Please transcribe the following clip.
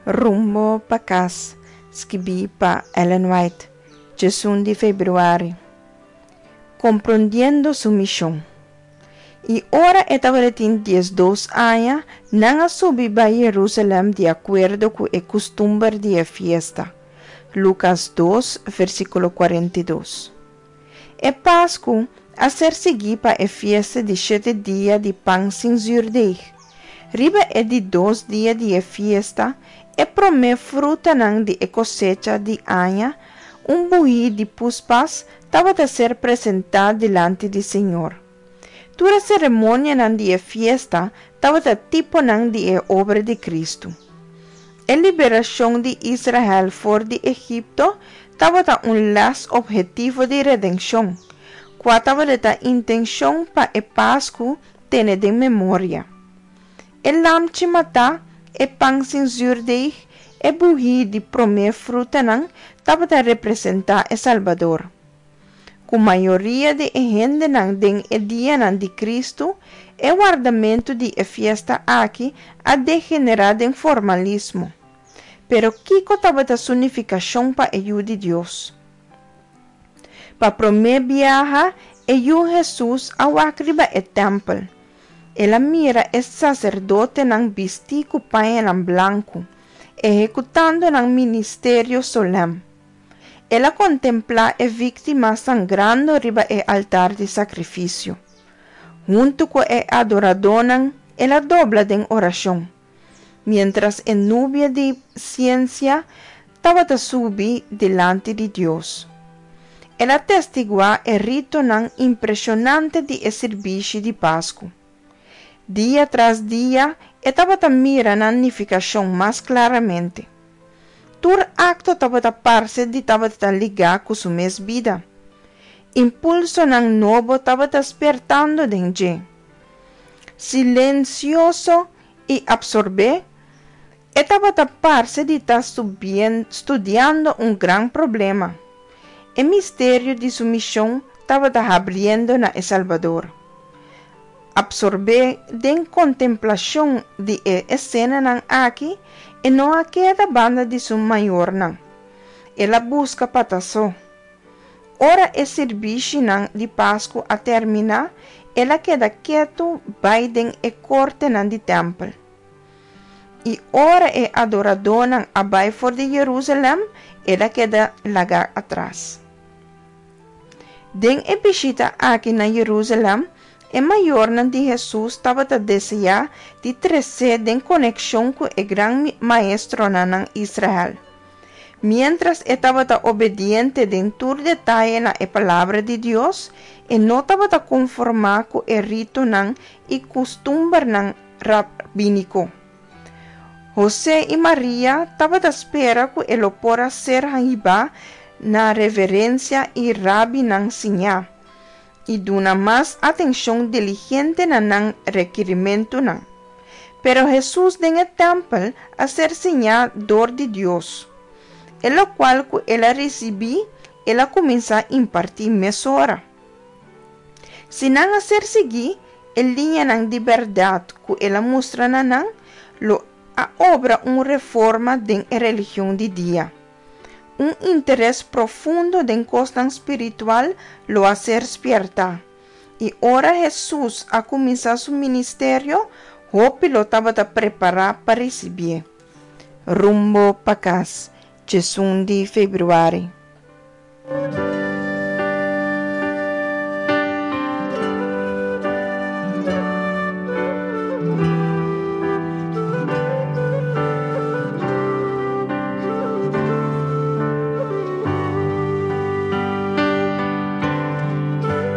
Rumbo pa kas, skibí pa Ellen White, 11 di febrüari. Komprondiendo su mishon. I ora e tabatin 12 aña, nan a subi bai Herusalèm di akuerdo ku e kustumber di e fiesta. Lukas 2, versíkulo 42. E Pasku a ser siguí pa e fiesta di shete dia di pan sin zürdeg. Riba e di dos dia di e fiesta, e promé frutanan di e kosecha di aña, un buhí di puspas, tabata ser presentá dilanti di Señor. Tur e seremonianan di e fiesta tabata tiponan di e obra di Kristu. E liberashon di Israel for di Egipto tabata un lès ophetivo di redenshon, kua tabata intenshon pa e Pasku tene den memoria. E lamchi matá, e pan sin zürdeg, e buhí di promé frutanan tabata representá e Salbador. Ku mayoria di e hendenan den e dianan di Kristu, e wardamentu di e fiesta aki a degenerá den formalismo. Pero kiko tabata su nifikashon pa e Yu di Dios? Pa promé biaha, e Yu Hesus a wak riba e tèmpel. El a mira e saserdotenan bistí ku pañanan blanku, ehekutando nan ministerio solèm. El a kontemplá e víktima sangrando riba e altar di sakrifisio. Huntu ku e adoradónan, el a dobla den orashon, miéntras e nubia di siensia tabata subi dilanti di Dios. El a testiguá e ritonan impreshonante di e sirbishi di Pasku. Dia tras dia e tabata mira nan nifikashon mas klaramente. Tur akto tabata parse di tabata ligá ku su mes bida. Impulsonan nobo tabata spertando den dje. Silensioso i apsorbé, e tabata parse di ta studiando un gran problema. E misterio di su mishon tabata habriendo na e Salbador. Apsorbé den kontemplashon di e esenanan aki, e no a keda banda di su mayornan. El a buska pa ta so. Ora e sirbishinan di Pasku a terminá, el a keda ketu bai den e kortenan di tèmpel. I ora e adoradónan a bai for di Jerusalèm, el a keda lagá atras. Den e bishita aki na Jerusalèm, e mayornan di Hesus tabata deseá di tres'é den konekshon ku e gran maestronan na Israel. Miéntras e tabata obediente den tur detaye na e Palabra di Dios, e no tabata konformá ku e ritonan i kustumbernan rabíniko. Hosé i Maria tabata spera ku e lo por a ser hibá na reverensia i rabinan siñá, i duna mas atenshon diligente na nan rekirimentunan. Pero Hesus den e tèmpel a ser siñá dor di Dios. E lokual ku el a risibí, el a kuminsá impartí mesora. Si nan a ser siguí, e liñanan di bèrdat ku el a mustra na nan lo a obra un reforma den e religion di dia. Un interes profundo den kosnan spiritual lo a ser spièrtá. I ora Hesus a kuminsá su ministerio, hopi lo tabata prepará pa risibié. Rumbo pa kas, 11 di febrüari.